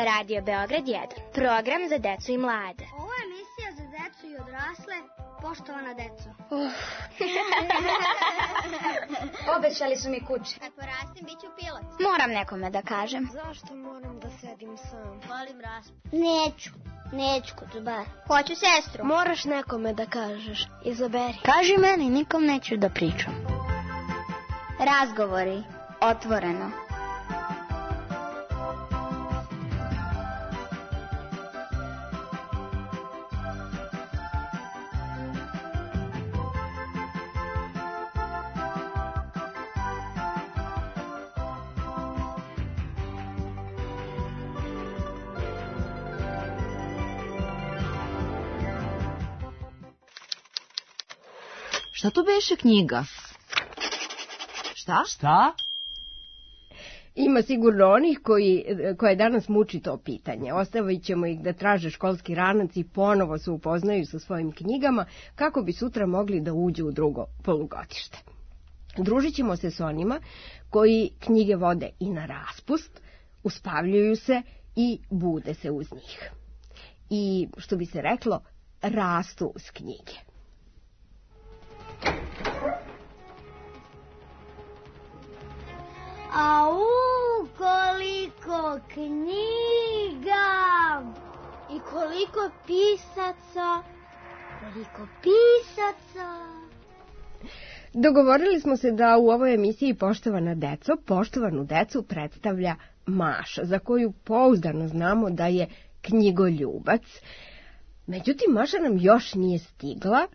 Radio Beograd 1. Program za decu i mlade. Ovo je emisija za decu i odrasle. Poštovana deco. Obećali su mi kući. Kad porastim, bit ću pilot. Moram nekome da kažem. Zašto moram da sedim sam? Volim raspad. Neću kod zubara. Hoću sestru. Moraš nekome da kažeš. Izaberi. Kaži meni, nikom neću da pričam. Razgovori. Otvoreno. Šta to beše knjiga? Šta? Ima sigurno onih koje danas muči to pitanje. Ostavit ćemo ih da traže školski ranac i ponovo se upoznaju sa svojim knjigama kako bi sutra mogli da uđu u drugo polugodište. Družit ćemo se s onima koji knjige vode i na raspust, uspavljuju se i bude se uz njih. I, što bi se reklo, rastu uz knjige. Au, koliko knjiga! I koliko pisaca! Dogovorili smo se da u ovoj emisiji poštovanu decu predstavlja Maša, za koju pouzdano znamo da je knjigoljubac. Međutim, Maša nam još nije stigla.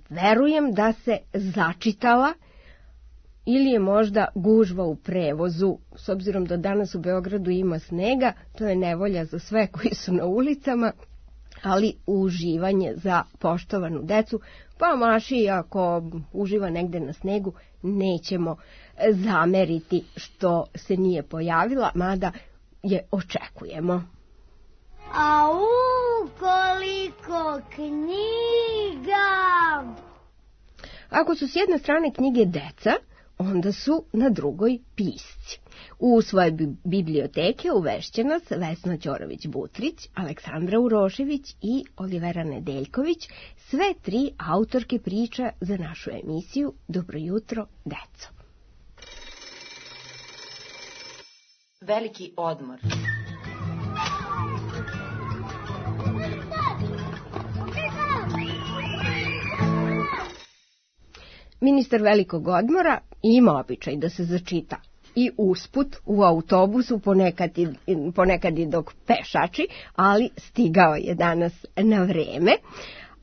Verujem da se začitala ili je možda gužva u prevozu, s obzirom da danas u Beogradu ima snega, to je nevolja za sve koji su na ulicama, ali uživanje za poštovanu decu, pa Maši ako uživa negde na snegu nećemo zameriti što se nije pojavila, mada je očekujemo. Au, koliko knjiga! Ako su s jedne strane knjige deca, onda su na drugoj pisci. U svoje biblioteke uvešće nas Vesna Ćorović-Butrić, Aleksandra Urošević i Olivera Nedeljković, sve tri autorke priča za našu emisiju Dobro jutro, deco. Veliki odmor. Ministar velikog odmora ima običaj da se začita i usput u autobusu, ponekad i dok pešači, ali stigao je danas na vreme.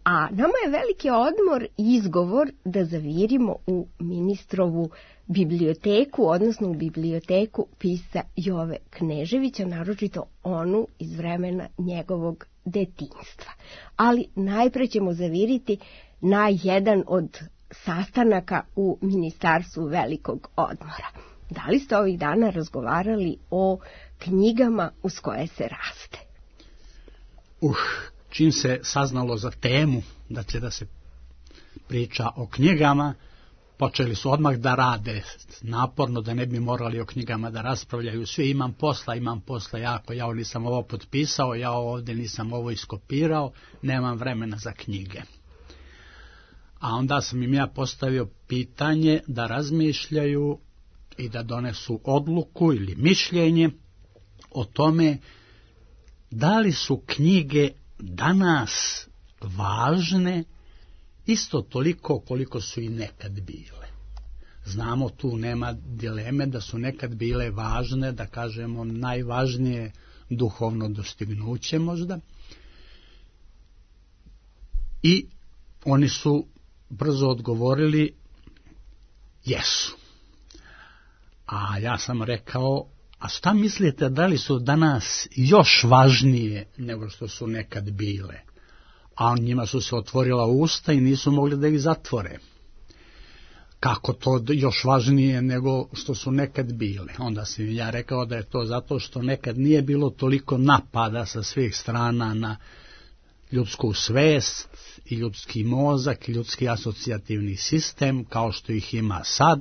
A nama je veliki odmor izgovor da zavirimo u ministrovu biblioteku, odnosno u biblioteku pisca Jove Kneževića, naročito onu iz vremena njegovog detinjstva. Ali najpre ćemo zaviriti na jedan od sastanaka u Ministarstvu velikog odmora. Da li ste ovih dana razgovarali o knjigama uz koje se raste? Čim se saznalo za temu da će da se priča o knjigama, počeli su odmah da rade naporno, da ne bi morali o knjigama da raspravljaju. Svi imam posla jako, ja nisam ovo potpisao, ja ovdje nisam ovo iskopirao, nemam vremena za knjige. A onda sam im ja postavio pitanje da razmišljaju i da donesu odluku ili mišljenje o tome da li su knjige danas važne isto toliko koliko su i nekad bile. Znamo, tu nema dileme da su nekad bile važne, da kažemo najvažnije duhovno dostignuće možda. I oni su brzo odgovorili jesu. A ja sam rekao, a šta mislite da li su danas još važnije nego što su nekad bile? A njima su se otvorila usta i nisu mogli da ih zatvore. Kako to još važnije nego što su nekad bile? Onda sam ja rekao da je to zato što nekad nije bilo toliko napada sa svih strana na ljudsku svest i ljudski mozak i ljudski asocijativni sistem kao što ih ima sad,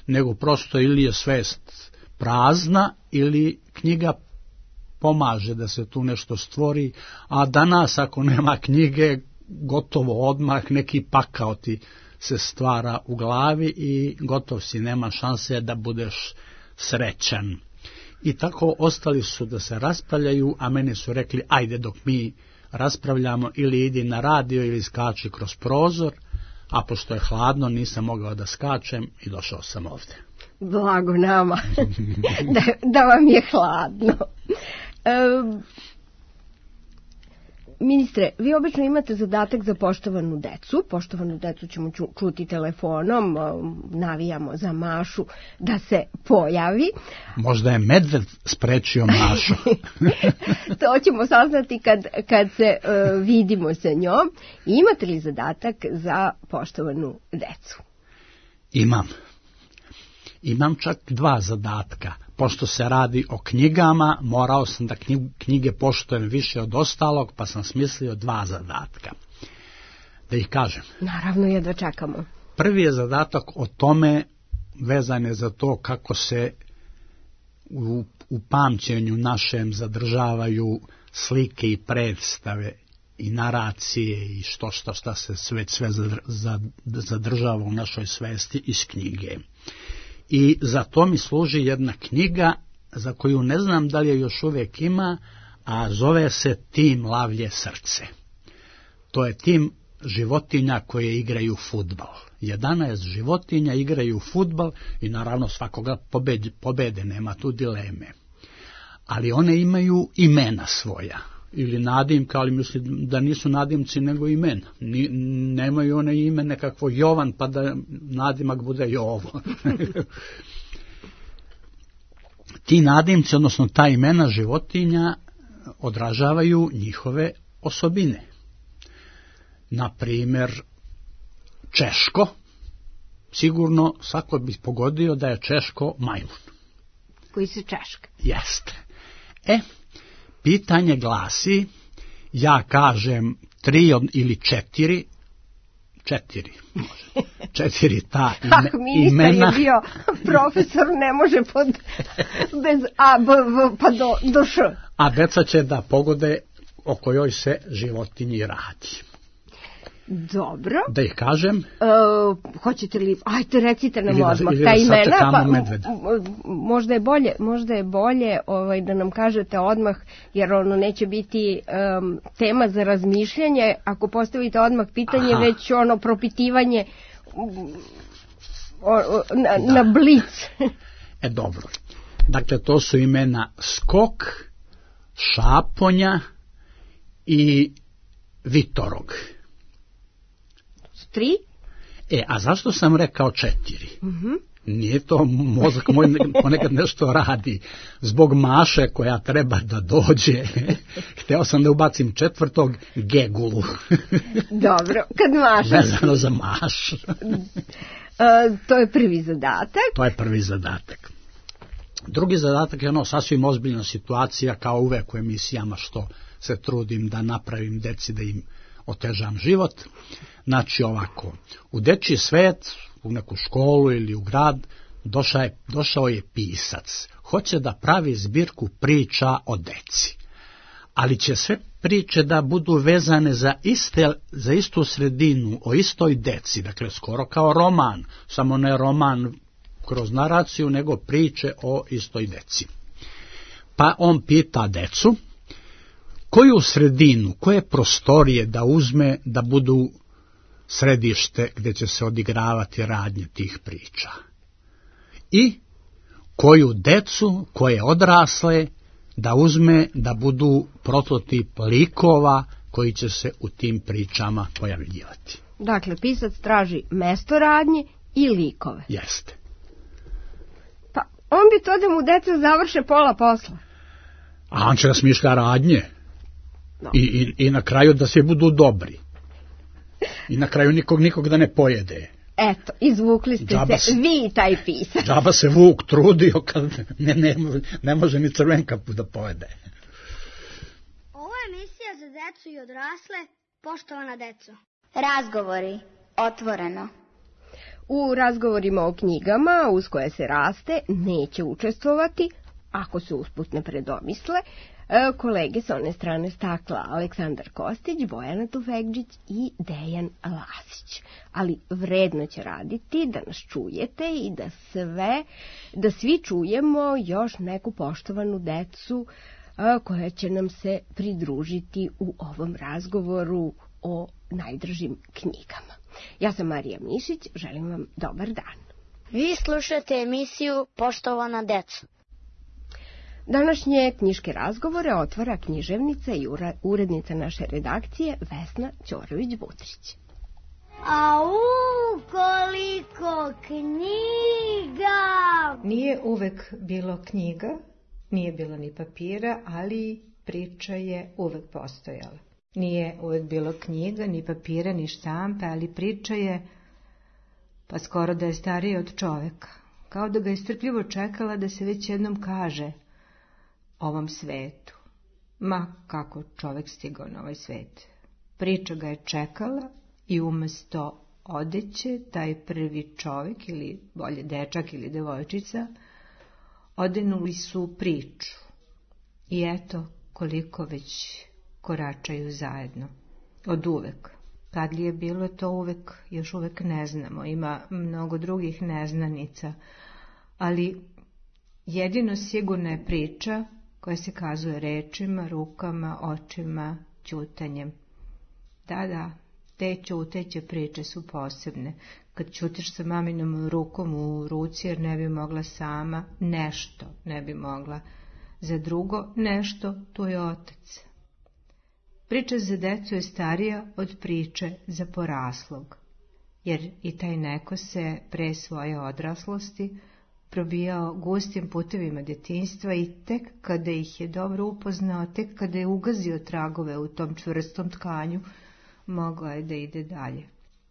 nego prosto ili je svest prazna ili knjiga pomaže da se tu nešto stvori, a danas ako nema knjige, gotovo odmah neki pakao ti se stvara u glavi i gotov si, nema šanse da budeš srećan. I tako ostali su da se raspravljaju, a meni su rekli, ajde dok mi raspravljamo ili idi na radio ili skači kroz prozor, a pošto je hladno nisam mogao da skačem i došao sam ovde. Blago nama da vam je hladno. Ministre, vi obično imate zadatak za poštovanu decu. Poštovanu decu ćemo čuti telefonom, navijamo za Mašu da se pojavi. Možda je medved sprečio Mašu. To ćemo saznati kad se vidimo sa njom. Imate li zadatak za poštovanu decu? Imam čak 2 zadatka. Pošto se radi o knjigama, morao sam da knjige poštujem više od ostalog, pa sam smislio 2 zadatka. Da ih kažem. Naravno, jedva čekamo. Prvi je zadatak o tome, vezan je za to kako se u pamćenju našem zadržavaju slike i predstave i naracije i šta se sve zadržava u našoj svesti iz knjige. I za to mi služi jedna knjiga za koju ne znam da li je još uvijek ima, a zove se Tim lavlje srce. To je tim životinja koje igraju fudbal. 11 životinja igraju fudbal i naravno svakoga pobede, nema tu dileme. Ali one imaju imena svoja. Ili nadimka, ali mislim da nisu nadimci nego imena. Nemaju one ime nekakvo Jovan, pa da nadimak bude Jovo. Ti nadimci, odnosno ta imena životinja, odražavaju njihove osobine. Na primjer, Češko, sigurno svako bi pogodio da je Češko majmun. Koji se Češka? Jeste. Pitanje glasi, ja kažem 3 ili 4 može. 4 ta Ako ministar je bio profesor, ne može bez A, B, V, pa do Š. A deca će da pogode o kojoj se životinji radi. Dobro. Da ih kažem? Hoćete li, ajte recite nam odmah ta imena, pa možda je bolje da nam kažete odmah, jer ono neće biti tema za razmišljanje, ako postavite odmah pitanje, već ono propitivanje na blic. Dobro. Dakle, to su imena Skok, Šaponja i Vitorog. 3? A zašto sam rekao 4? Nije to, mozak moj ponekad nešto radi. Zbog Maše koja treba da dođe, hteo sam da ubacim 4. Gegulu. Dobro, kad Maša... Vezano za Mašu. To je prvi zadatak. Drugi zadatak je sasvim ozbiljna situacija, kao uvek u emisijama što se trudim da napravim deci, da im otežam život. Znači ovako, u dečji svet, u neku školu ili u grad, došao je pisac. Hoće da pravi zbirku priča o deci. Ali će sve priče da budu vezane za istu sredinu, o istoj deci. Dakle, skoro kao roman, samo ne roman kroz naraciju, nego priče o istoj deci. Pa on pita decu, koju sredinu, koje prostorije da uzme da budu središte gdje će se odigravati radnje tih priča. I koju decu, koje odrasle, da uzme da budu prototip likova koji će se u tim pričama pojavljivati. Dakle, pisac traži mesto radnje i likove. Jeste. Pa on bi to da mu deca završe pola posla. A on će da smišlja radnje. No. I na kraju da svi budu dobri. I na kraju nikog da ne pojede. Eto, izvukli ste se vi i taj pisac. Džaba se Vuk trudio kad ne može ni crvenkapu da pojede. Ovo je emisija za decu i odrasle, poštovana deco. Razgovori, otvoreno. U razgovorima o knjigama uz koje se raste neće učestvovati, ako se usput ne predomisle, kolege s one strane stakla Aleksandar Kostić, Bojana Tufekđić i Dejan Lasić. Ali vredno će raditi da nas čujete i da svi čujemo još neku poštovanu decu koja će nam se pridružiti u ovom razgovoru o najdražim knjigama. Ja sam Marija Mišić, želim vam dobar dan. Vi slušate emisiju Poštovana deco. Današnje knjiške razgovore otvara književnica i urednica naše redakcije Vesna Ćorović-Butrić. Au, koliko knjiga! Nije uvek bilo knjiga, nije bilo ni papira, ali priča je uvek postojala. Nije uvek bilo knjiga, ni papira, ni štampe, ali priča je, pa skoro da je starija od čoveka. Kao da ga je strpljivo čekala da se već jednom kaže ovom svetu. Ma kako čovek stigao na ovaj svet. Priča ga je čekala i umesto odeće, taj prvi čovek, ili bolje dečak ili devojčica, odenuli su priču. I eto koliko već koračaju zajedno. Od uvek. Kad li je bilo to uvek, još uvek ne znamo. Ima mnogo drugih neznanica. Ali jedino sigurna je priča koja se kazuje rečima, rukama, očima, ćutanjem. Da, te ćuteće priče su posebne. Kad ćutiš sa maminom rukom u ruci jer ne bi mogla sama, nešto ne bi mogla. Za drugo nešto, tu je otac. Priča za decu je starija od priče za poraslog, jer i taj neko se pre svoje odraslosti probijao gustim putevima djetinjstva i tek kada ih je dobro upoznao, tek kada je ugazio tragove u tom čvrstom tkanju, mogao je da ide dalje.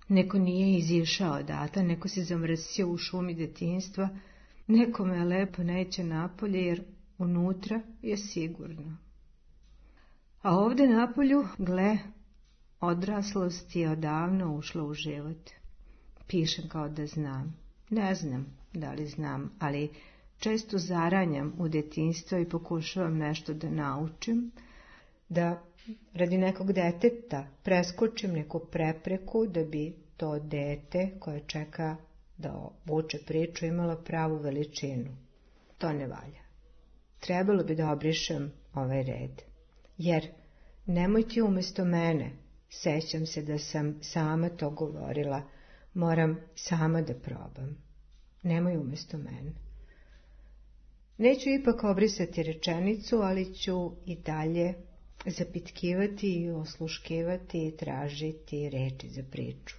Neko nije izišao odatle, neko se zamrsio u šumi djetinjstva, nekome lepo neće napolje jer unutra je sigurno. A ovde napolju, gle, odraslost je odavno ušla u život. Pišem kao da znam. Ne znam da li znam, ali često zaranjam u djetinjstvo i pokušavam nešto da naučim, da radi nekog deteta preskočim neku prepreku da bi to dete koje čeka da vuče priču imalo pravu veličinu. To ne valja. Trebalo bi da obrišem ovaj red. Jer nemoj ti umjesto mene, sećam se da sam sama to govorila, moram sama da probam. Nemoj umjesto mene. Neću ipak obrisati rečenicu, ali ću i dalje zapitkivati i osluškivati i tražiti reči za priču.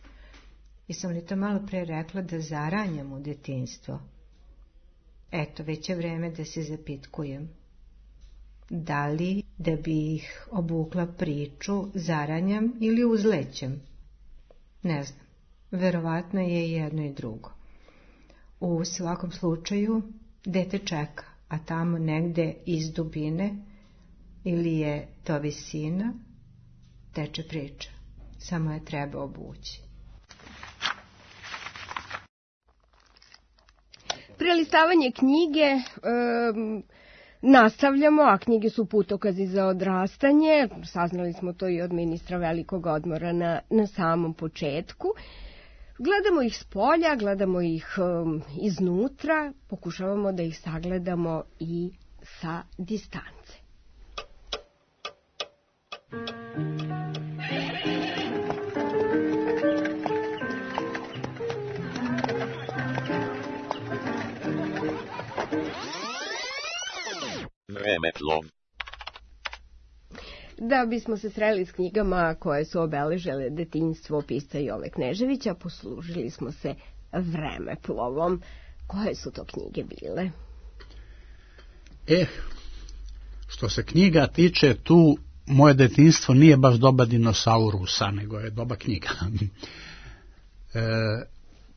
I sam li to malo pre rekla da zaranjam u djetinjstvo? Eto, već je vreme da se zapitkujem. Da li da bi ih obukla priču zaranjam ili uzlećem? Ne znam, verovatno je jedno i drugo. U svakom slučaju dete čeka, a tamo negde iz dubine ili je to visina, teče priča. Samo je treba obući. Prelistavanje knjige nastavljamo, a knjige su putokazi za odrastanje. Saznali smo to i od ministra velikog odmora na samom početku. Gledamo ih s polja, gledamo ih iznutra, pokušavamo da ih sagledamo i sa distance. Vremeplov. Da bismo se sreli s knjigama koje su obeležile detinjstvo pisca Jove Kneževića, poslužili smo se Vremeplovom. Koje su to knjige bile? Što se knjiga tiče, tu moje detinjstvo nije baš doba dinosaurusa, nego je doba knjiga.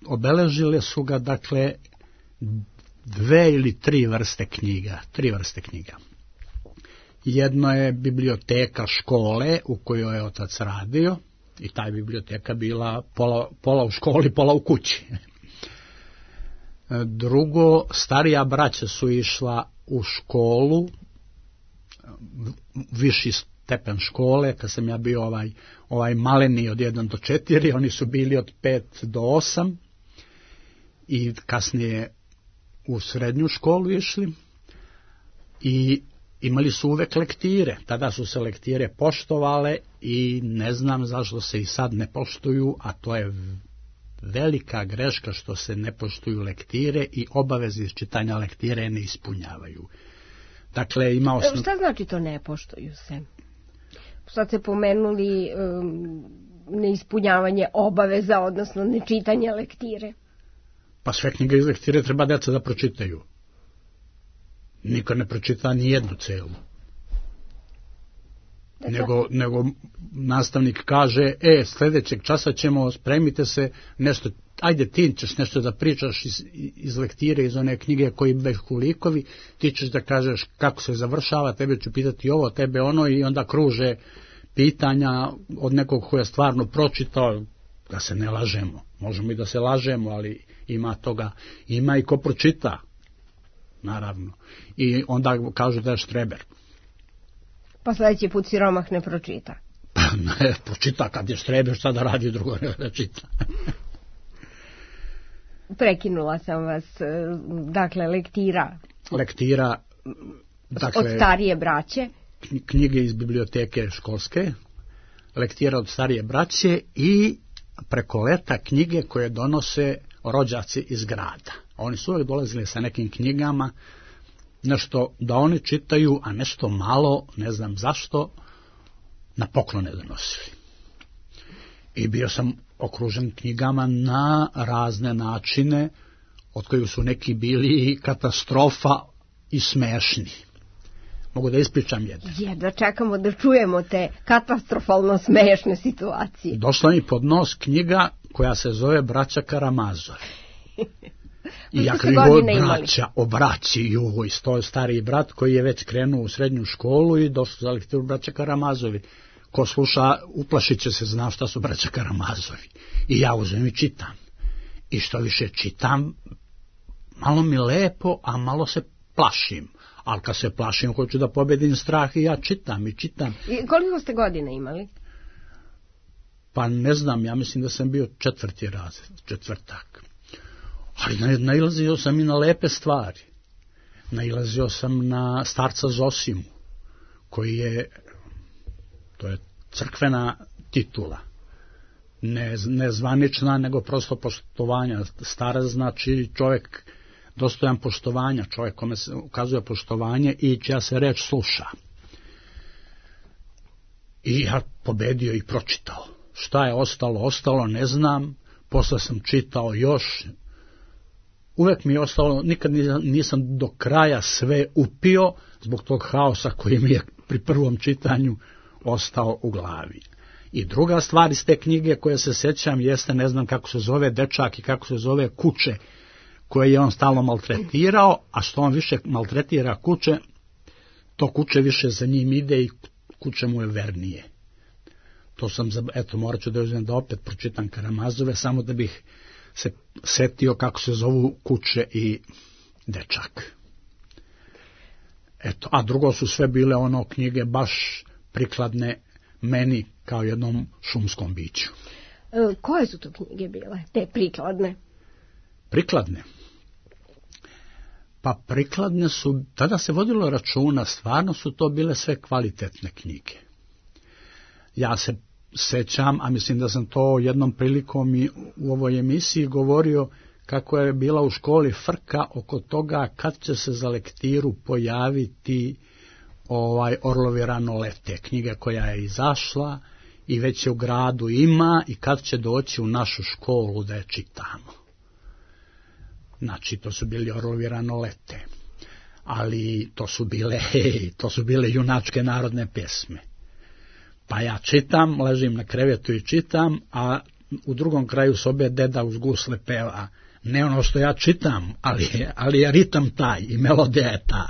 Obeležile su ga, dakle, 2 ili 3 vrste knjiga. 3 vrste knjiga. Jedno je biblioteka škole u kojoj je otac radio i ta biblioteka bila pola u školi, pola u kući. Drugo, starija braća su išla u školu, viši stepen škole, kad sam ja bio ovaj maleni od 1 do 4, oni su bili od 5 do 8 i kasnije u srednju školu išli i imali su uvek lektire. Tada su se lektire poštovale i ne znam zašto se i sad ne poštuju, a to je velika greška što se ne poštuju lektire i obaveze iz čitanja lektire ne ispunjavaju. Dakle, Šta znači to ne poštuju se? Sad ste pomenuli neispunjavanje obaveza, odnosno nečitanje lektire. Pa sve knjige iz lektire treba deca da pročitaju. Niko ne pročita ni jednu celu. Nego nastavnik kaže, sljedećeg časa ćemo, spremite se, nešto, ajde ti ćeš nešto da pričaš iz lektire, iz one knjige koji behu likovi, ti ćeš da kažeš kako se završava, tebe ću pitati ovo, tebe ono, i onda kruže pitanja od nekog ko je stvarno pročitao, da se ne lažemo. Možemo i da se lažemo, ali ima toga, ima i ko pročita, naravno. I onda kažu da je štreber. Pa sljedeći put siromah ne pročita. Ne, pročita kad je štreber, šta da radi drugo, ne da čita. Prekinula sam vas, dakle, lektira. Dakle, od starije braće. Knjige iz biblioteke školske, lektira od starije braće i preko leta knjige koje donose rođaci iz grada. Oni su uvijek dolazili sa nekim knjigama, nešto da oni čitaju, a nešto malo, ne znam zašto, na poklone donosili. I bio sam okružen knjigama na razne načine, od kojih su neki bili katastrofa i smešni. Mogu da ispričam jedno. Da čekamo da čujemo te katastrofalno smešne situacije. Došla mi pod nos knjiga koja se zove Braća Karamazovi. I ja braća o braći, i to je stariji brat koji je već krenuo u srednju školu i došao za lektiru Braća Karamazovi. Ko sluša, uplašit će se, zna šta su Braća Karamazovi. I ja uzmem i čitam. I što više čitam, malo mi lepo, a malo se plašim. Ali kad se plašim, hoću da pobedim strah i ja čitam i čitam. I koliko ste godine imali? Pa ne znam, ja mislim da sam bio 4. razred, četvrtak. Ali nailazio sam i na lepe stvari. Nailazio sam na starca Zosimu, koji je, to je crkvena titula. Ne zvanična, nego prosto poštovanja. Starac znači čovjek dostojan poštovanja, čovjek kome se ukazuje poštovanje i čija se reč sluša. I ja pobedio i pročitao. Šta je ostalo, ne znam. Posle sam čitao još. Uvek mi je ostalo, nikad nisam do kraja sve upio zbog tog haosa koji mi je pri prvom čitanju ostao u glavi. I druga stvar iz te knjige koje se sjećam jeste, ne znam kako se zove dečak i kako se zove kuće koje je on stalno maltretirao, a što on više maltretira kuće, to kuće više za njim ide i kuće mu je vernije. To sam, morat ću da uzmem da opet pročitam Karamazove, samo da bih se setio kako se zovu kuće i dečak. A drugo su sve bile knjige baš prikladne meni kao jednom šumskom biću. Koje su to knjige bile, te prikladne? Prikladne? Pa prikladne su, tada se vodilo računa, stvarno su to bile sve kvalitetne knjige. Ja se sećam, a mislim da sam to jednom prilikom i u ovoj emisiji govorio, kako je bila u školi frka oko toga kad će se za lektiru pojaviti Orlovi rano lete, knjiga koja je izašla i već je u gradu ima i kad će doći u našu školu da je čitamo. Znači, to su bili Orlovi rano lete, ali to su bile junačke narodne pjesme. Pa ja čitam, ležim na krevetu i čitam, a u drugom kraju sobe deda uz gusle peva. Ne ono što ja čitam, ali je ritam taj i melodija je ta.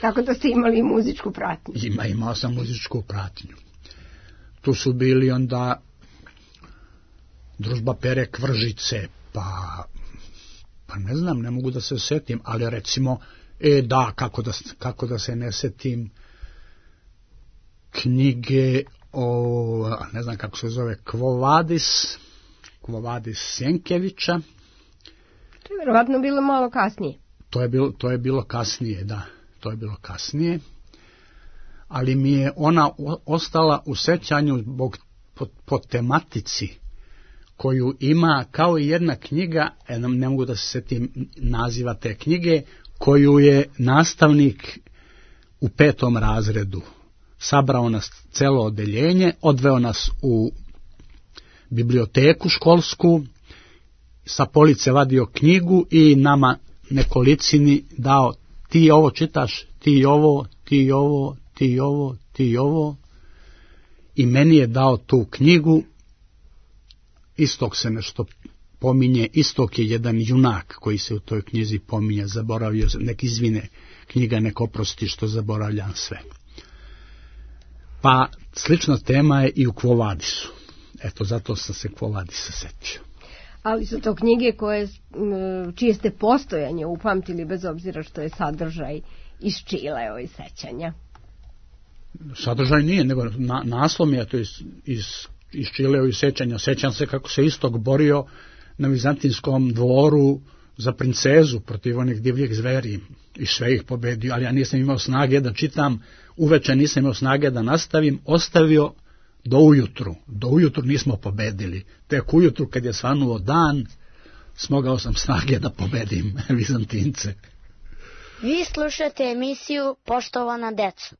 Tako da ste imali muzičku pratnju. Imao sam muzičku pratnju. Tu su bili onda Družba Pere Kvržice, pa ne znam, ne mogu da se setim, ali recimo Da, kako da se ne setim knjige o, ne znam kako se zove, Quo Vadis Sjenkevića. To je vjerovatno bilo malo kasnije. To je bilo kasnije, da. To je bilo kasnije. Ali mi je ona ostala u sećanju po tematici koju ima, kao i jedna knjiga, ne mogu da se setim naziva te knjige, koju je nastavnik u 5. razredu sabrao nas celo odeljenje, odveo nas u biblioteku školsku, sa police vadio knjigu i nama nekolicini dao: ti ovo čitaš, ti ovo, ti ovo, ti ovo, ti ovo. I meni je dao tu knjigu. Istog se nešto pominje, Istok je jedan junak koji se u toj knjizi pominje, zaboravio, nek izvine knjiga, nek oprosti što zaboravljam sve. Pa slična tema je i u Quo Vadisu. Eto, zato sam se Quo Vadisa setio. Ali su to knjige čije ste postojanje upamtili, bez obzira što je sadržaj iz Čilea i sećanja. Sadržaj nije, nego naslov je to iz Čilea i sećanja. Sećam se kako se Istok borio na Vizantinskom dvoru za princezu protiv onih divljih zveri i sve ih pobedio, ali ja nisam imao snage da čitam, uveče nisam imao snage da nastavim, ostavio do ujutru. Do ujutru nismo pobedili. Tek ujutru kad je svanuo dan, smogao sam snage da pobedim Vizantince. Vi slušate emisiju Poštovana deco.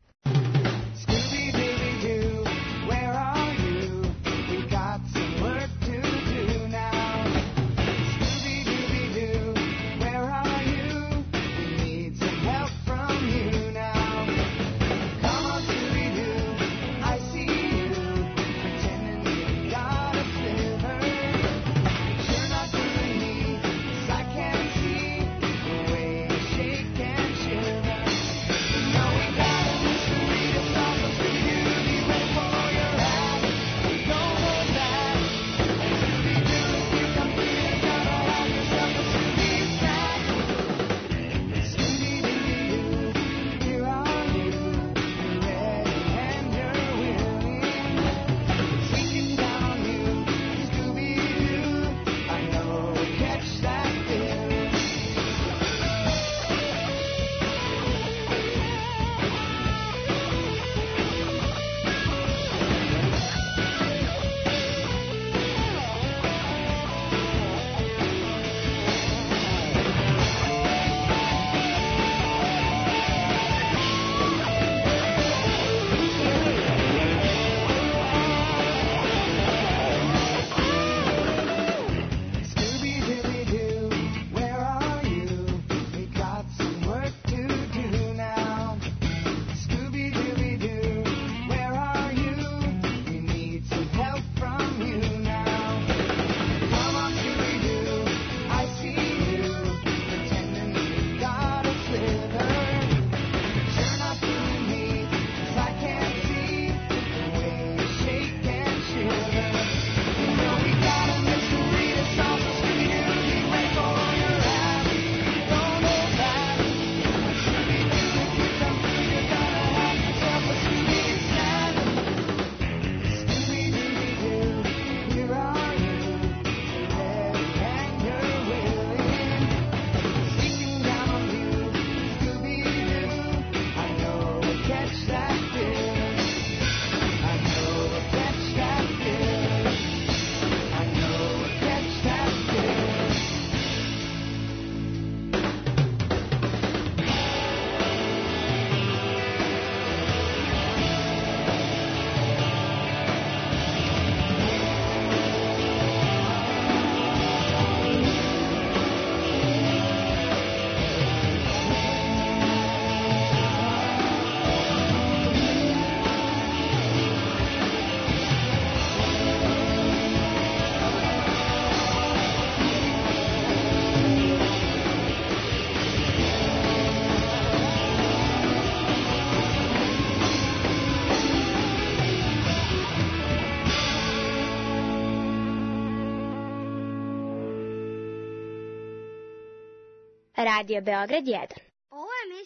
Radio Beograd 1. Ovo je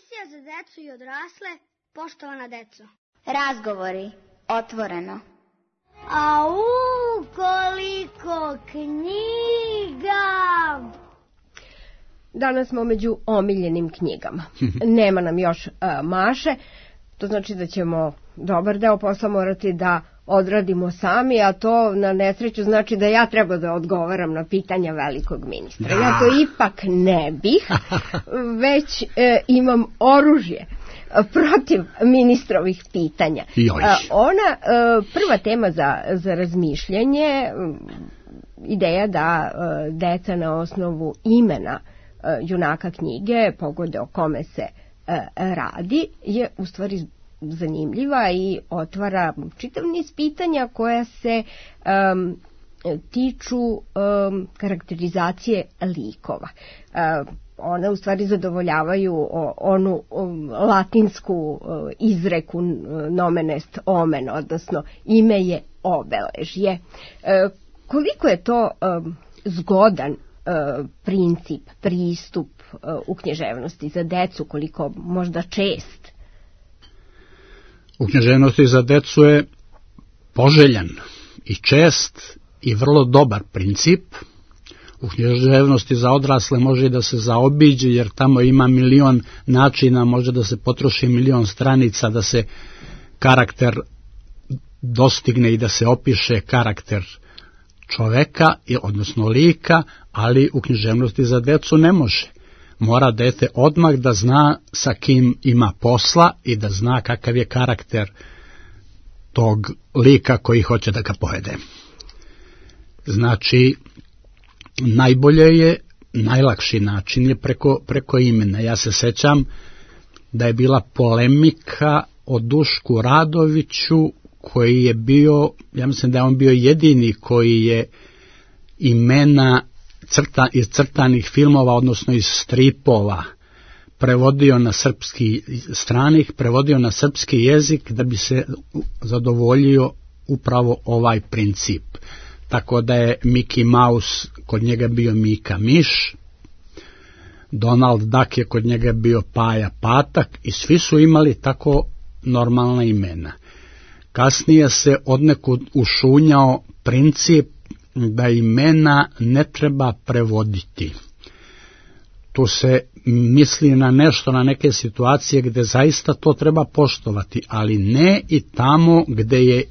decu i odrasle, poštovana deco. Razgovori, otvoreno. Au, koliko knjiga! Danas smo među omiljenim knjigama. Nema nam još Maše, to znači da ćemo dobar deo posla morati da odradimo sami, a to na nesreću znači da ja treba da odgovaram na pitanja velikog ministra. Da. Ja to ipak ne bih, već imam oružje protiv ministrovih pitanja. Ona, prva tema za razmišljanje, ideja da deca na osnovu imena junaka knjige pogode o kome se radi, je u stvari zanimljiva i otvara čitav niz pitanja koja se tiču karakterizacije likova. One u stvari zadovoljavaju onu latinsku izreku nomen est omen, odnosno ime je obeležje. Koliko je to zgodan princip, pristup u književnosti za decu, koliko možda čest? U književnosti za decu je poželjan i čest i vrlo dobar princip. U književnosti za odrasle može da se zaobiđe, jer tamo ima milion načina, može da se potroši milion stranica da se karakter dostigne i da se opiše karakter čoveka, odnosno lika, ali u književnosti za decu ne može. Mora dete odmah da zna sa kim ima posla i da zna kakav je karakter tog lika koji hoće da ga povede. Znači, najbolje je, najlakši način je preko imena. Ja se sećam da je bila polemika o Dušku Radoviću, koji je bio, ja mislim da je on bio jedini koji je imena iz crtanih filmova, odnosno iz stripova, prevodio na srpski stranih, prevodio na srpski jezik da bi se zadovoljio upravo ovaj princip. Tako da je Mickey Mouse kod njega bio Mika Miš, Donald Duck je kod njega bio Paja Patak i svi su imali tako normalna imena. Kasnije se odnekud ušunjao princip da imena ne treba prevoditi. Tu se misli na nešto, na neke situacije gde zaista to treba poštovati, ali ne i tamo gde je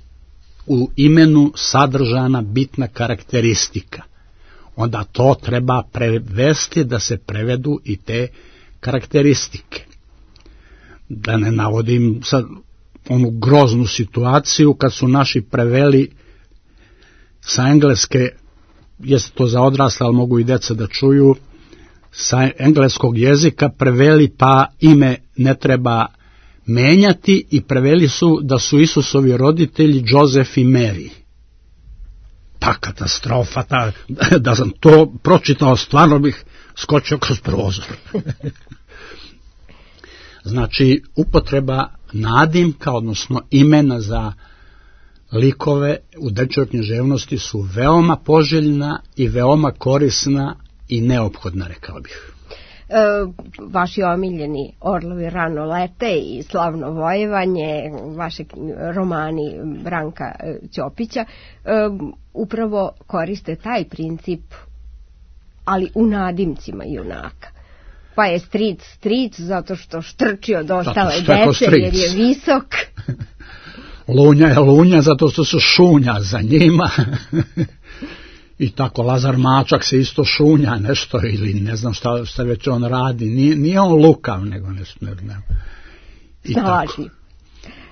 u imenu sadržana bitna karakteristika. Onda to treba prevesti da se prevedu i te karakteristike. Da ne navodim sad onu groznu situaciju kad su naši preveli sa engleske, jeste to za odrasle, ali mogu i deca da čuju, sa engleskog jezika preveli pa ime ne treba menjati i preveli su da su Isusovi roditelji Joseph i Mary. Ta katastrofa, da sam to pročitao, stvarno bih skočio kroz prozor. Znači, upotreba nadimka, odnosno imena za likove u dečjoj književnosti su veoma poželjna i veoma korisna i neophodna, rekao bih. Vaši omiljeni Orlovi rano lete i Slavno vojevanje, vaše romani Branka Ćopića, upravo koriste taj princip, ali u nadimcima junaka. Pa je stric zato što štrči od ostale dece jer je visok. Lunja je lunja zato što se šunja za njima. I tako Lazar Mačak se isto šunja nešto ili ne znam šta već on radi. Nije on lukav, nego nešto. Snalažljiv.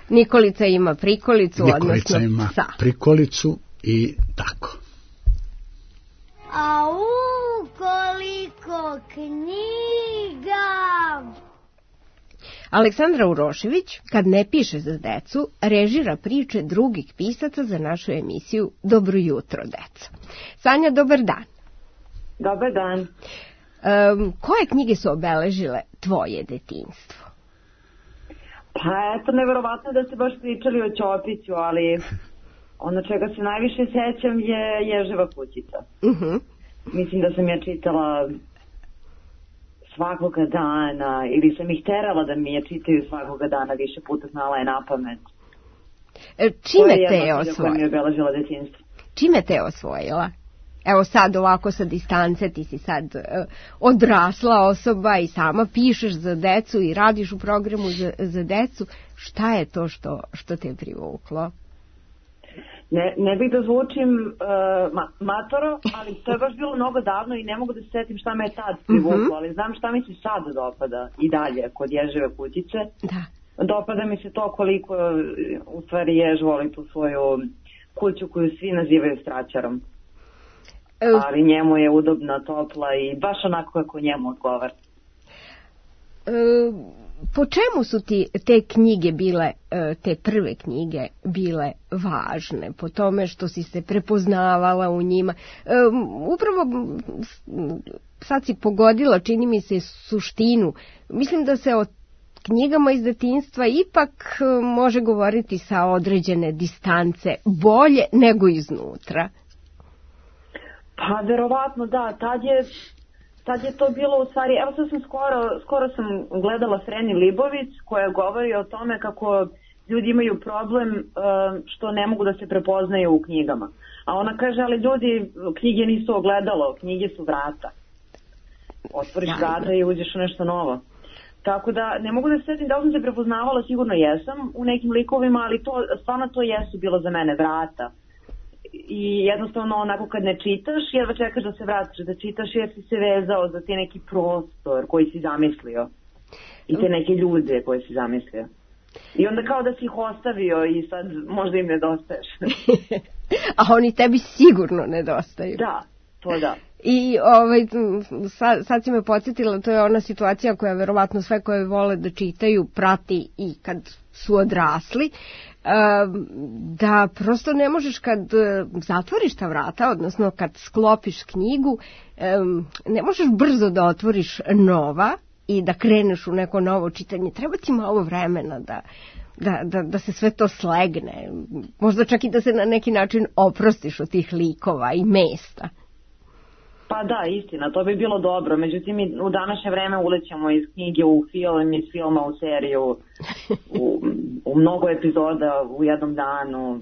Nikolica ima prikolicu, Nikolica odnosno ima psa. Prikolicu i tako. Au, koliko knjiga! Aleksandra Urošević, kad ne piše za decu, režira priče drugih pisaca za našu emisiju Dobro jutro, deco. Sanja, dobar dan. Dobar dan. Koje knjige su obeležile tvoje detinjstvo? Pa eto, neverovatno da ste baš pričali o Ćopiću, ali ono čega se najviše sećam je Ježeva kućica. Mislim da sam ja čitala svakoga dana, ili sam ih terala da mi je čitaju svakoga dana, više puta znala je na pamet. Čime te je osvojila? Mi je obeležila detinjstvo. Čime te je osvojila? Evo sad ovako sa distance, ti si sad odrasla osoba i sama pišeš za decu i radiš u programu za decu. Šta je to što te je privuklo? Ne bih da zvučim matoro, ali to je baš bilo mnogo davno i ne mogu da se setim šta me je tad privuklo, ali znam šta mi se sad dopada i dalje kod Ježeve kućice. Da. Dopada mi se to koliko u stvari Jež voli tu svoju kuću koju svi nazivaju straćarom. Ali njemu je udobna, topla i baš onako kako njemu odgovara. Po čemu su ti te knjige bile, te prve knjige bile važne? Po tome što si se prepoznavala u njima? Upravo sad si pogodila, čini mi se, suštinu. Mislim da se o knjigama iz detinjstva ipak može govoriti sa određene distance, bolje nego iznutra. Pa verovatno da, tad je to bilo u stvari, evo sad sam skoro sam gledala Freni Libović koja govori o tome kako ljudi imaju problem što ne mogu da se prepoznaju u knjigama. A ona kaže, ali ljudi, knjige nisu ogledalo, knjige su vrata. Otvoriš vrata i uđeš u nešto novo. Tako da ne mogu da se setim da li sam se prepoznavala, sigurno jesam u nekim likovima, ali stvarno to jesu bilo za mene vrata. I jednostavno onako kad ne čitaš, jedva čekaš da se vratiš da čitaš jer si se vezao za te neki prostor koji si zamislio i te neke ljude koje si zamislio. I onda kao da si ih ostavio i sad možda im nedostaješ. A oni tebi sigurno nedostaju. Da, to da. I sad si me podsjetila, to je ona situacija koja verovatno sve koje vole da čitaju prati i kad su odrasli, da prosto ne možeš kad zatvoriš ta vrata, odnosno kad sklopiš knjigu, ne možeš brzo da otvoriš nova i da kreneš u neko novo čitanje. Treba ti malo vremena da se sve to slegne. Možda čak i da se na neki način oprostiš od tih likova i mesta. Pa da, istina, to bi bilo dobro. Međutim, u današnje vreme ulećemo iz knjige u film, iz filma u seriju, u mnogo epizoda u jednom danu.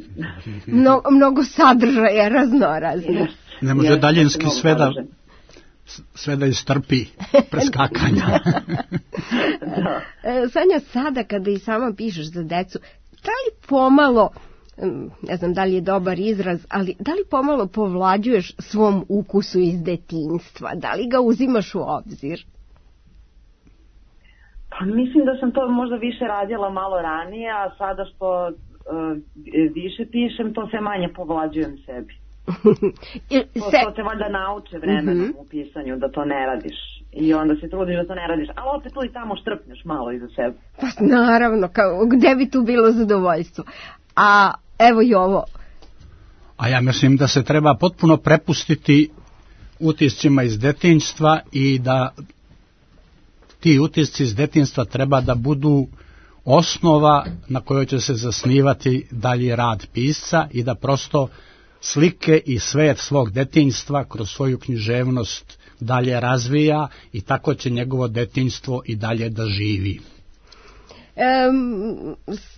Mnogo sadržaja raznoraznih. Ne može daljinski sve da istrpi preskakanja. Da. Sanja, sada kada i sama pišeš za decu, da li pomalo, ne znam da li je dobar izraz, ali da li pomalo povlađuješ svom ukusu iz detinjstva? Da li ga uzimaš u obzir? Pa mislim da sam to možda više radila malo ranije, a sada što više pišem, to sve manje povlađujem sebi. To te valjda nauče vremenom u pisanju da to ne radiš. I onda se trudiš da to ne radiš, ali opet tu i tamo štrpneš malo iza sebe. Pa naravno, gde bi tu bilo zadovoljstvo? A evo i ovo. A ja mislim da se treba potpuno prepustiti utiscima iz detinjstva i da ti utisci iz detinjstva treba da budu osnova na kojoj će se zasnivati dalji rad pisca i da prosto slike i svet svog detinjstva kroz svoju književnost dalje razvija i tako će njegovo detinjstvo i dalje da živi.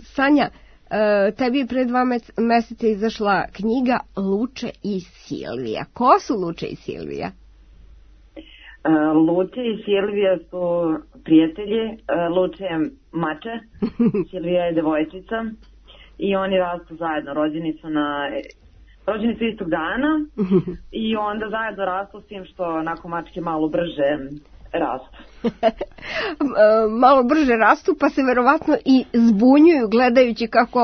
Sanja, tebi je pre 2 meseca izašla knjiga Luče i Silvija. Ko su Luče i Silvija? Luče i Silvija su prijatelji. Luče je mače, Silvija je devojčica i oni rastu zajedno. Rođeni su istog dana i onda zajedno rastu s tim što onako mačke malo brže rastu. Malo brže rastu pa se verovatno i zbunjuju gledajući kako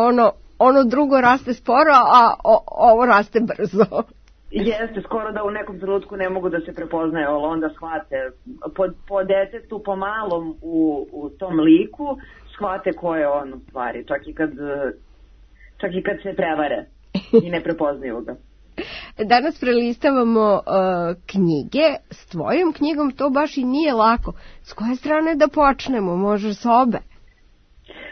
ono drugo raste sporo, a ovo raste brzo. Jeste, skoro da u nekom trenutku ne mogu da se prepoznaju, ali onda shvate po detetu, po malom u tom liku shvate ko je on u stvari, čak i kad se prevare i ne prepoznaju ga. Danas prelistavamo knjige. S tvojom knjigom to baš i nije lako. S koje strane da počnemo? Može s obe?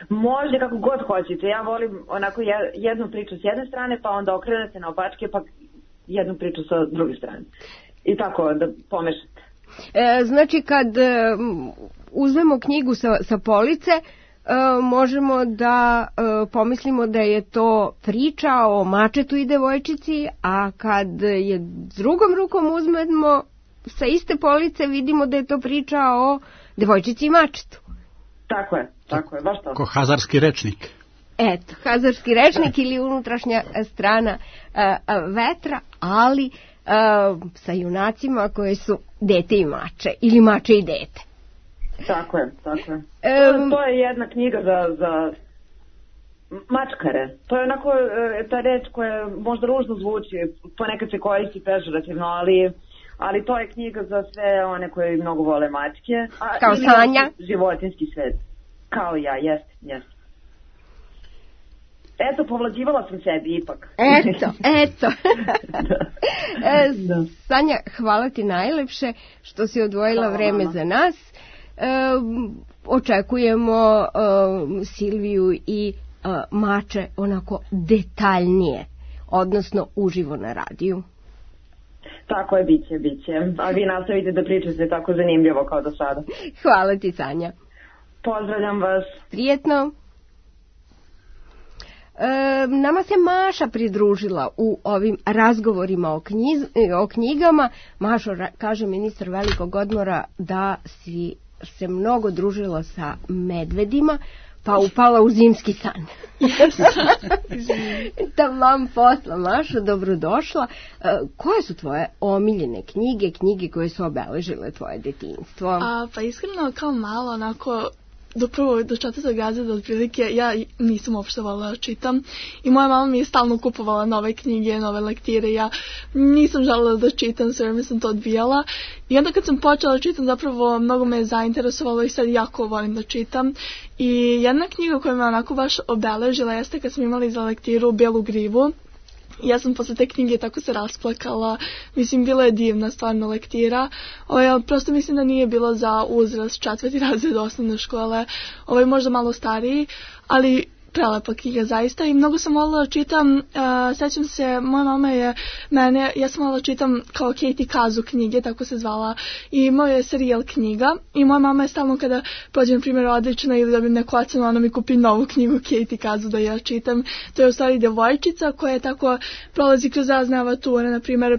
Može kako god hoćete. Ja volim onako jednu priču s jedne strane, pa onda okrenete na opačke, pa jednu priču sa druge strane. I tako da pomešate. Znači, kad uzmemo knjigu sa police, možemo da pomislimo da je to priča o mačetu i devojčici, a kad je drugom rukom uzmemo sa iste police, vidimo da je to priča o devojčici i mačetu. Tako je, baš to. Ko hazarski rečnik. Eto, hazarski rečnik ili unutrašnja strana vetra, ali sa junacima koji su dete i mače, ili mače i dete. Tako je. To je jedna knjiga za mačkare. To je onako ta reč koja možda ružno zvuči, ponekad se koristi pežorativno, ali to je knjiga za sve one koji mnogo vole mačke. Kao Sanja? Životinski svet. Kao ja, jest. Eto, povlađivala sam sebi ipak. Eto. Sanja, hvala ti najlepše što si odvojila vreme za nas. Očekujemo Silviju i mače onako detaljnije, odnosno uživo na radiju. Tako je, biće. A vi nastavite da pričate tako zanimljivo kao do sada. Hvala ti, Sanja. Pozdravljam vas. Prijetno. Nama se Maša pridružila u ovim razgovorima o knjigama. Mašo, kaže ministar velikog odmora da si se mnogo družila sa medvedima, pa upala u zimski san. Taman posla, Mašo, dobrodošla. Koje su tvoje omiljene knjige koje su obeležile tvoje detinjstvo? Pa iskreno, kao malo, onako, do 4. razreda otprilike ja nisam uopšte volila da čitam i moja mama mi je stalno kupovala nove knjige, nove lektire, ja nisam želela da čitam, sve vreme sam to odbijala i onda kad sam počela da čitam zapravo mnogo me je zainteresovalo i sad jako volim da čitam i jedna knjiga koja me onako baš obeležila jeste kad smo imali za lektiru Belu grivu. Ja sam posle te knjige tako se rasplakala, mislim bila je divna stvarno lektira, prosto mislim da nije bilo za uzrast 4. razred osnovne škole, možda malo stariji, ali prelepa knjiga zaista i mnogo sam volila da čitam, sećam se, moja mama je ja sam volila da čitam kao Katie Kazu knjige, tako se zvala, i imao je serijal knjiga i moja mama je stalno kada pođe na primjer odlična ili dobijem neku ocenu, ona mi kupi novu knjigu Katie Kazu da ja čitam. To je u stvari devojčica koja je tako prolazi kroz razne avanture, na primjer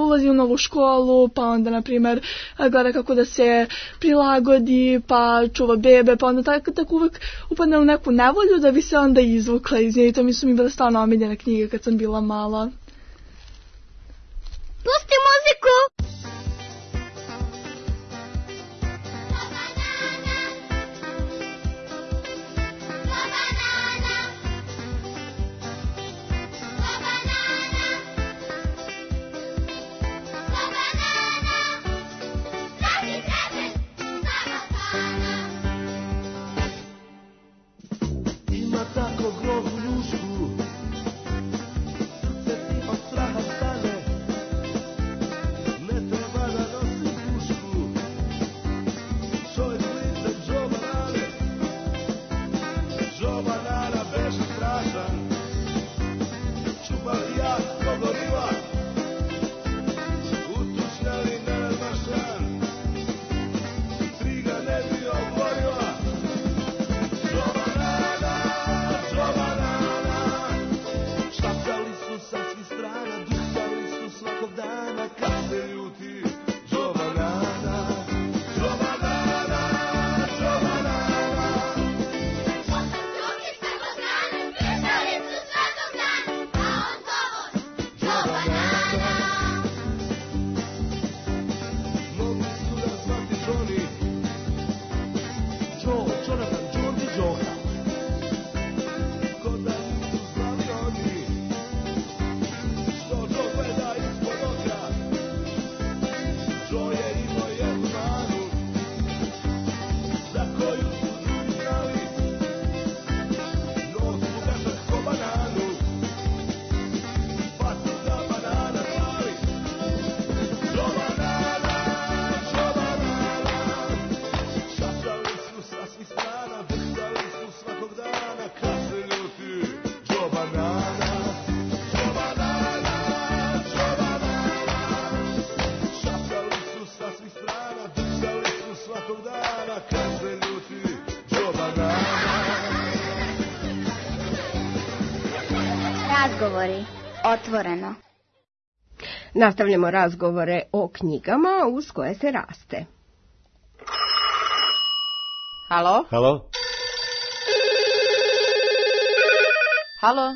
ulazi u novu školu, pa onda, na primjer, gleda kako da se prilagodi, pa čuva bebe, pa onda tako uvek upadne u neku nevolju da bi se onda izvukla iz nje i to mi su mi bile stvarno omiljene knjige kad sam bila mala. Pusti muziku! Razgovori. Otvoreno. Nastavljamo razgovore o knjigama uz koje se raste. Halo? Halo? Halo?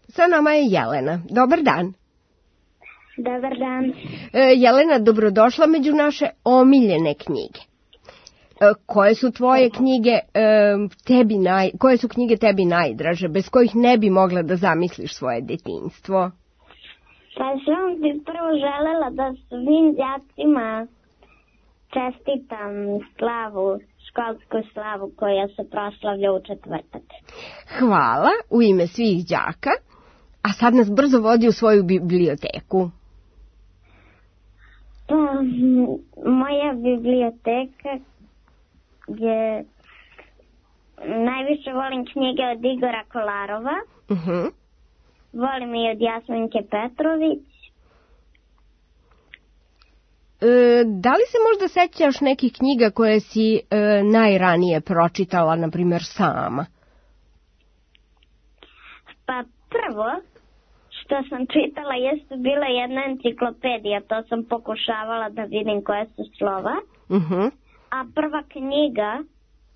Sa nama je Jelena. Dobar dan. Dobar dan. Jelena, dobrodošla među naše omiljene knjige. Koje su tvoje knjige koje su knjige tebi najdraže, bez kojih ne bi mogla da zamisliš svoje detinjstvo? Pa sam bi prvo želela da svim đacima čestitam školsku slavu koja se proslavlja u četvrtak. Hvala, u ime svih đaka. A sad nas brzo vodi u svoju biblioteku. Pa, moja biblioteka je... Najviše volim knjige od Igora Kolarova. Volim i od Jasminke Petrović. Da li se možda sećaš nekih knjiga koje si najranije pročitala, na primjer sama? Pa prvo što sam čitala jeste bila jedna enciklopedija, to sam pokušavala da vidim koje su slova. A prva knjiga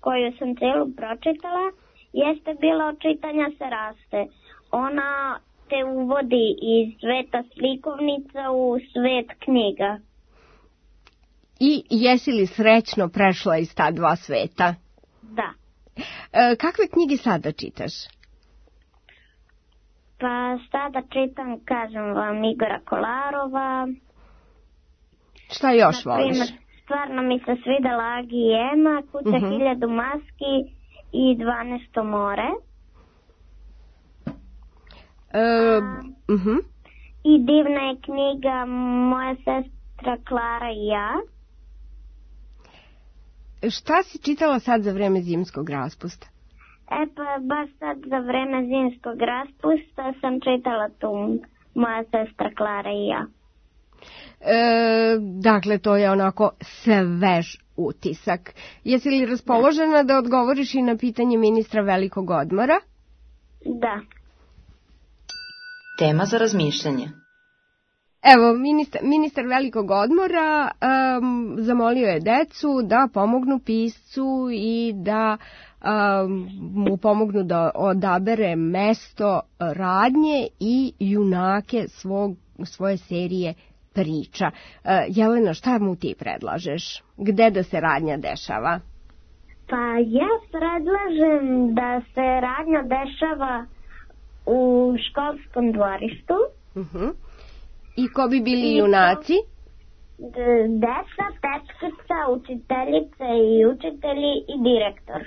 koju sam celu pročitala jeste bila Od čitanja se raste. Ona te uvodi iz sveta slikovnica u svet knjiga. I jesi li srećno prešla iz ta dva sveta? Da. Kakve knjige sada čitaš? Pa sada čitam, kažem vam, Igora Kolarova. Šta još voliš? Stvarno mi se svidela Agi i Ema, Kuća 1000 maski i 12. more. I divna je knjiga Moja sestra Klara i ja. Šta si čitala sad za vreme zimskog raspusta? Pa baš sad za vreme zimskog raspusta sam čitala tu Moja sestra Klara i ja. Dakle, to je onako svež utisak. Jesi li raspoložena da odgovoriš i na pitanje ministra velikog odmora? Da. Tema za razmišljanje. Evo, ministar velikog odmora zamolio je decu da pomognu piscu i da mu pomognu da odabere mesto radnje i junake svoje serije priča. Jelena, šta mu ti predlažeš? Gde da se radnja dešava? Pa ja predlažem da se radnja dešava u školskom dvorištu. I ko bi bili junaci? Deca, tečkica, učiteljice i učitelji i direktor.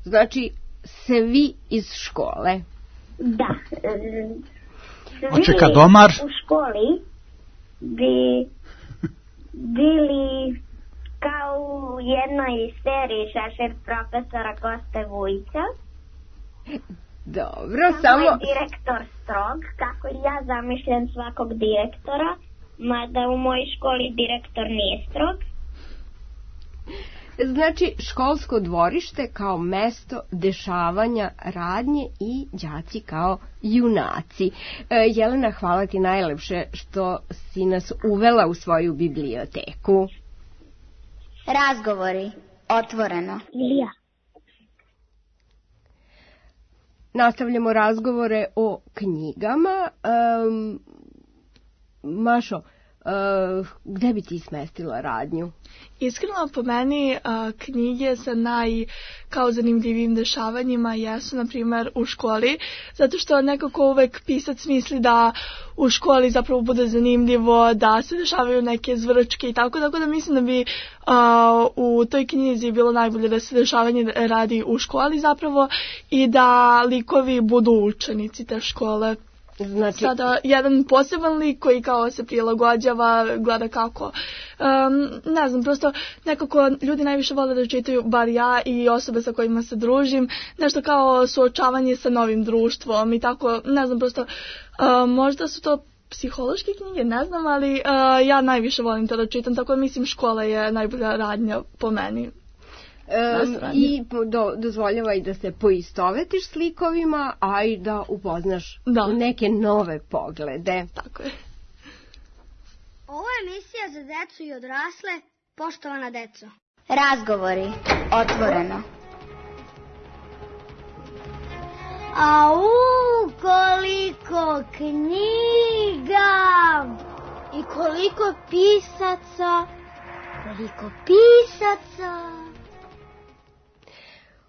Znači, svi iz škole? Da. Oče kad domar? U školi bi bili kao u jednoj seriji Šešir profesora Koste Vujića. Dobro, samo je direktor strog, kako ja zamišljam svakog direktora, mada u mojoj školi direktor nije strog. Znači, školsko dvorište kao mesto dešavanja radnje i đaci kao junaci. Jelena, hvala ti najlepše što si nas uvela u svoju biblioteku. Razgovori. Otvoreno. Ilija. Nastavljamo razgovore o knjigama. Mašo, gde bi ti smestila radnju? Iskreno, po meni knjige sa kao zanimljivim dešavanjima jesu, na primjer, u školi, zato što nekako uvek pisac misli da u školi zapravo bude zanimljivo, da se dešavaju neke zvrčke i tako da mislim da bi u toj knjizi bilo najbolje da se dešavanje radi u školi zapravo i da likovi budu učenici te škole. Znači... Sada jedan poseban lik koji kao se prilagođava, gleda kako, ne znam, prosto nekako ljudi najviše vole da čitaju, bar ja i osobe sa kojima se družim, nešto kao suočavanje sa novim društvom i tako, ne znam, prosto možda su to psihološke knjige, ne znam, ali ja najviše volim to da čitam, tako da mislim škola je najbolja radnja po meni. I dozvoljavaj da se poistovetiš s likovima, a i da upoznaš neke nove poglede. Tako je. Ovo je emisija za decu i odrasle, poštovana deco. Razgovori, otvoreno. Au, koliko knjiga! I koliko pisaca! Koliko pisaca!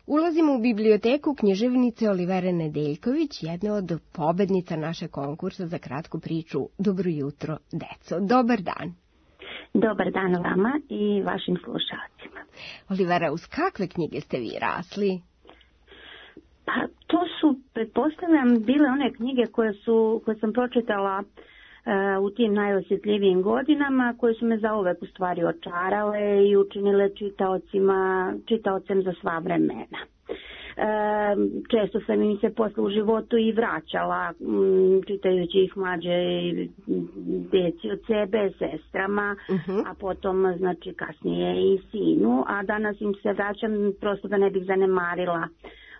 Ulazimo u biblioteku književnice Olivere Nedeljković, jedne od pobednica naše konkursa za kratku priču Dobro jutro, deco. Dobar dan. Dobar dan vama i vašim slušalcima. Olivera, uz kakve knjige ste vi rasli? Pa to su, pretpostavljam, bile one knjige koje sam pročitala u tim najosjetljivijim godinama, koje su me zauvek u stvari očarale i učinile čitaocem za sva vremena. Često sam im se posle u životu i vraćala, čitajući ih mlađe deci od sebe, sestrama, a potom znači kasnije i sinu, a danas im se vraćam prosto da ne bih zanemarila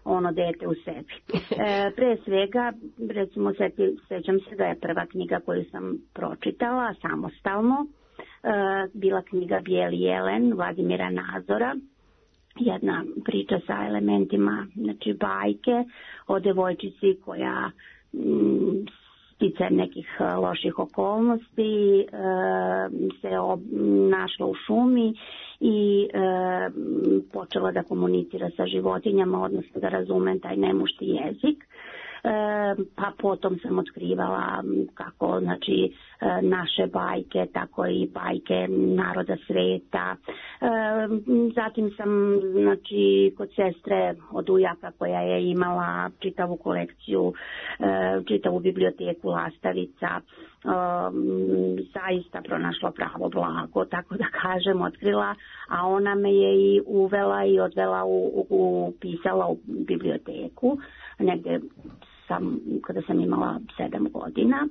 ono dete u sebi. Pre svega, recimo, sećam se da je prva knjiga koju sam pročitala samostalno bila knjiga Bijeli jelen Vladimira Nazora, jedna priča sa elementima, znači bajke o devojčici koja sticajem nekih loših okolnosti se našla u šumi i počela da komunicira sa životinjama, odnosno da razume taj nemušti jezik. Pa potom sam otkrivala kako znači naše bajke, tako i bajke naroda sveta. Zatim sam znači kod sestre od ujaka koja je imala čitavu kolekciju, čitavu biblioteku lastavica, zaista pronašla pravo blago, tako da kažem, otkrila, a ona me je i uvela i odvela upisala u biblioteku negde kada sam imala 7 godina.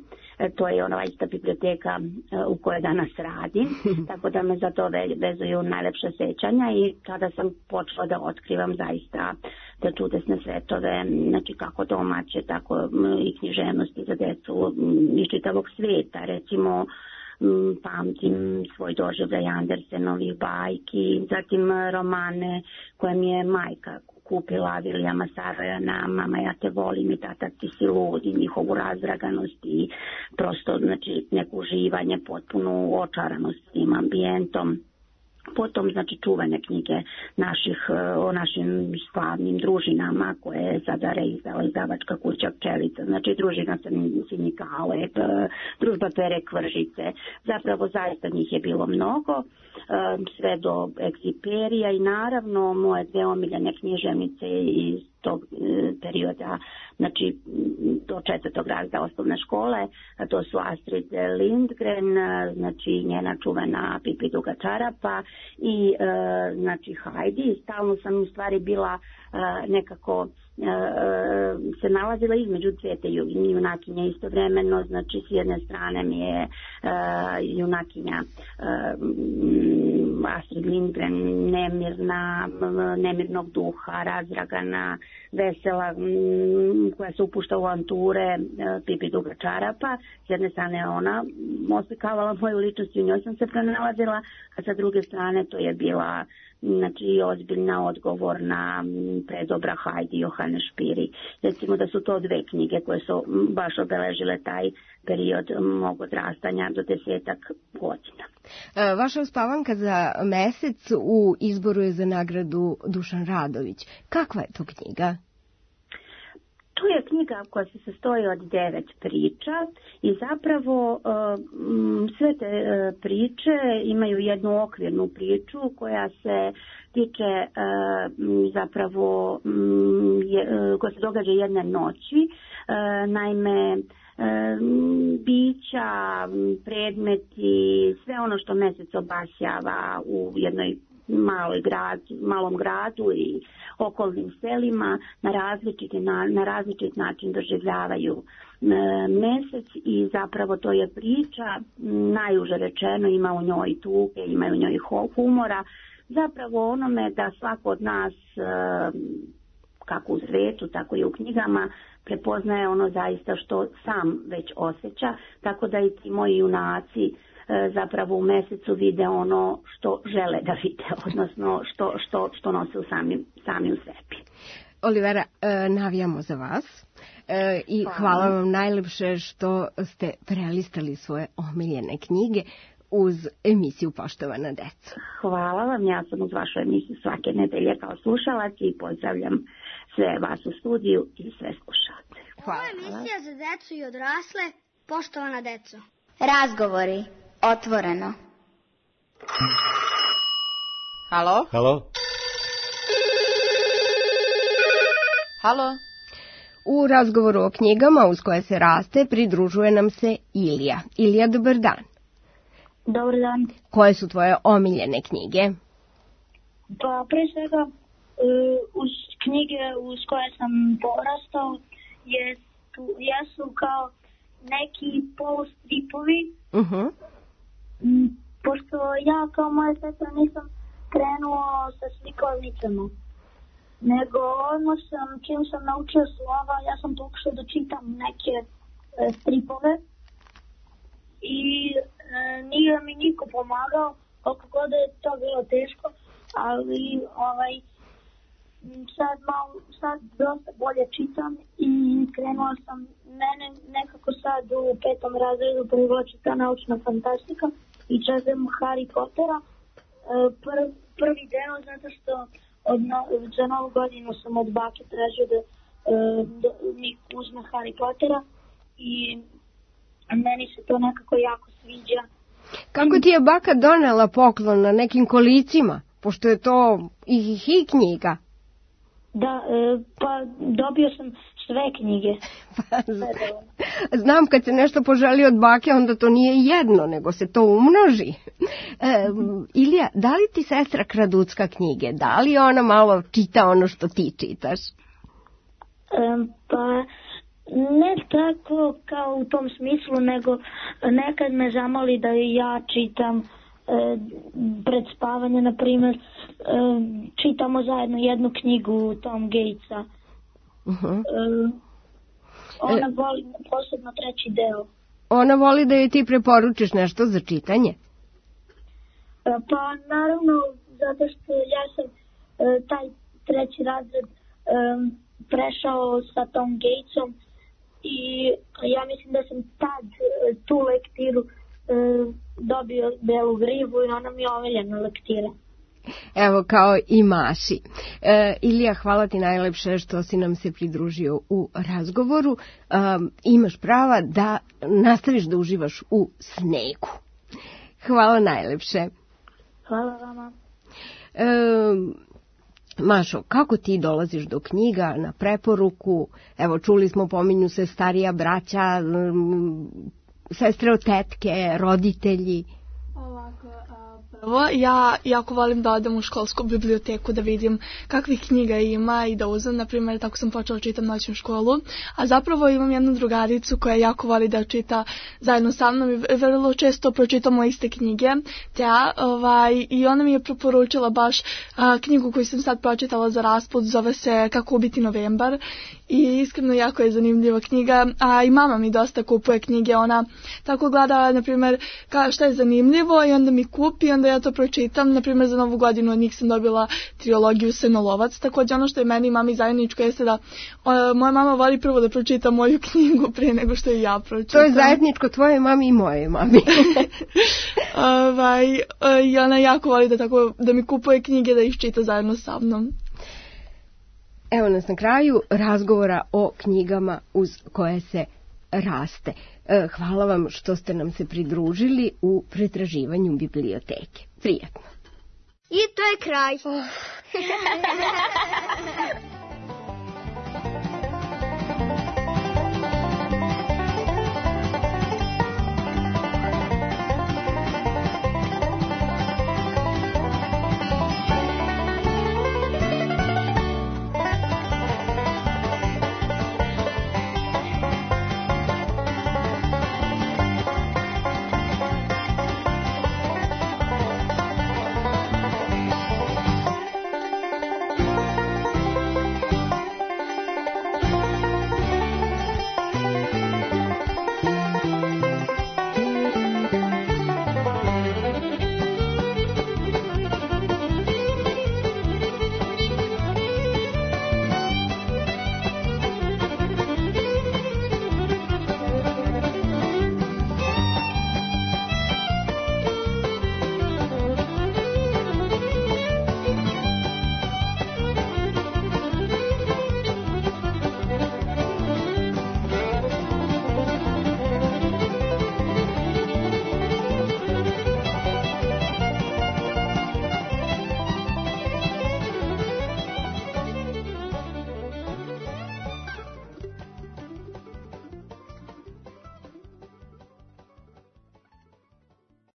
To je ona ista biblioteka u kojoj danas radim, tako da me za to vezuju najlepše sećanja i tada sam počela da otkrivam zaista te čudesne svetove, znači kako domaće, tako i književnosti za decu iz čitavog sveta. Recimo, pamtim svoj doživljaj Andersenovih bajki, zatim romane koje mi je majka kupila, Vilijama Sarojana, Mama ja te volim i Tata ti si lud, i njihovu razdraganost i prosto znači neko uživanje, potpunu očaranost tim ambijentom. Potom znači čuvene knjige o našim slavnim družinama koje je sada reizdala izdavačka kuća Pčelica, znači družina Sinjika Alep, družba Pere Kvržice, zapravo zaista njih je bilo mnogo, sve do Egziperija i naravno moje dve omiljene književnice iz tog perioda, znači do 4. razreda osnovne škole, to su Astrid Lindgren, znači njena čuvena Pipi duga čarapa i znači Heidi. Stalno sam u stvari bila nekako se nalazila između dve te junakinje istovremeno, znači s jedne strane mi je junakinja Astrid Lindgren nemirnog duha, razdragana, vesela, koja se upušta u avanture, Pipi duga čarapa. S jedne strane ona oslikavala moju ličnost i u njoj sam se pronalazila, a sa druge strane to je bila znači ozbiljna, odgovorna, predobra Heidi Johane Špiri. Recimo da su to dve knjige koje su baš obeležile taj period mog odrastanja do 10 godina. Vaša uspavanka za mesec u izboru je za nagradu Dušan Radović. Kakva je to knjiga? To je knjiga koja se sastoji od 9 priča i zapravo sve te priče imaju jednu okvirnu priču koja se tiče zapravo koja se događa jedne noći. Naime, bića, predmeti, sve ono što mesec obasjava u jednoj malom gradu i okolnim selima na različit način doživljavaju mesec i zapravo to je priča, najuže rečeno, ima u njoj tuge, ima u njoj humora, zapravo onome da svako od nas, kako u svetu, tako i u knjigama, prepoznaje ono zaista što sam već osjeća, tako da i ti moji junaci zapravo u mesecu vide ono što žele da vide, odnosno što nose sami u sebi. Olivera, navijamo za vas i hvala vam najlepše što ste prelistali svoje omiljene knjige uz emisiju Poštovana deco. Hvala vam, ja sam uz vašu emisiju svake nedelje kao slušalac i pozdravljam sve vas u studiju i sve slušalce. Ovo je emisija za decu i odrasle, Poštovana deco. Razgovori, otvoreno. Halo? Halo? Halo? U razgovoru o knjigama uz koje se raste pridružuje nam se Ilija. Ilija, dobar dan. Dobar dan. Koje su tvoje omiljene knjige? Pa pre svega uz knjige uz koje sam porastao jesu kao neki polustripovi. Pošto ja kao moja sestra nisam krenuo sa slikovnicama, nego odmah čim sam naučio slova, ja sam pokušao da čitam neke stripove i nije mi niko pomagao, koliko god je to bilo teško, ali sad dosta bolje čitam i krenuo sam, mene nekako sad u 5. razredu privlači ta naučna fantastika i čekam Harry Pottera, prvi deo, zato što za novu godinu sam od bake tražio da mi uzme Harry Pottera i meni se to nekako jako sviđa. Kako ti je baka donela poklon na nekim kolicima, pošto je to i knjiga? Da, pa dobio sam sve knjige. Znam, kad se nešto poželi od bake, onda to nije jedno, nego se to umnoži. Ilija, da li ti sestra kraducka knjige? Da li ona malo čita ono što ti čitaš? Pa ne tako kao u tom smislu, nego nekad me zamoli da ja čitam pred spavanje, na primjer, čitamo zajedno jednu knjigu Tom Gatesa. Ona voli posebno 3. deo. Ona voli da joj ti preporučiš nešto za čitanje? Pa naravno, zato što ja sam taj 3. razred prešao sa Tom Gatesom i ja mislim da sam tad tu lektiru dobio Belu grivu i ona mi je omiljena lektira. Evo, kao i Maši. Ilija, hvala ti najlepše što si nam se pridružio u razgovoru. Imaš prava da nastaviš da uživaš u snegu. Hvala najlepše. Hvala vama. Mašo, kako ti dolaziš do knjiga na preporuku? Evo, čuli smo, pominju se starija braća, sestre od tetke, roditelji. Prvo, ja jako volim da odem u školsku biblioteku da vidim kakvih knjiga ima i da uzem, na primjer, tako sam počela čitam noćnu školu, a zapravo imam jednu drugaricu koja jako voli da čita zajedno sa mnom i vrlo često pročitamo iste knjige, i ona mi je preporučila baš knjigu koju sam sad pročitala za rasput, zove se Kako ubiti novembar i iskreno jako je zanimljiva knjiga, a i mama mi dosta kupuje knjige, ona tako gleda, na primjer, šta je zanimljivo i onda mi kupi, onda ja to pročitam, na primjer za Novu godinu od njih sam dobila trilogiju Senolovac, također ono što je meni i mami zajedničko jeste da moja mama voli prvo da pročita moju knjigu prije nego što je ja pročitam. To je zajedničko tvoje mami i moje mami. I ona jako voli da mi kupuje knjige da ih čita zajedno sa mnom. Evo nas na kraju razgovora o knjigama uz koje se raste. Hvala vam što ste nam se pridružili u pretraživanju biblioteke. Prijatno. I to je kraj.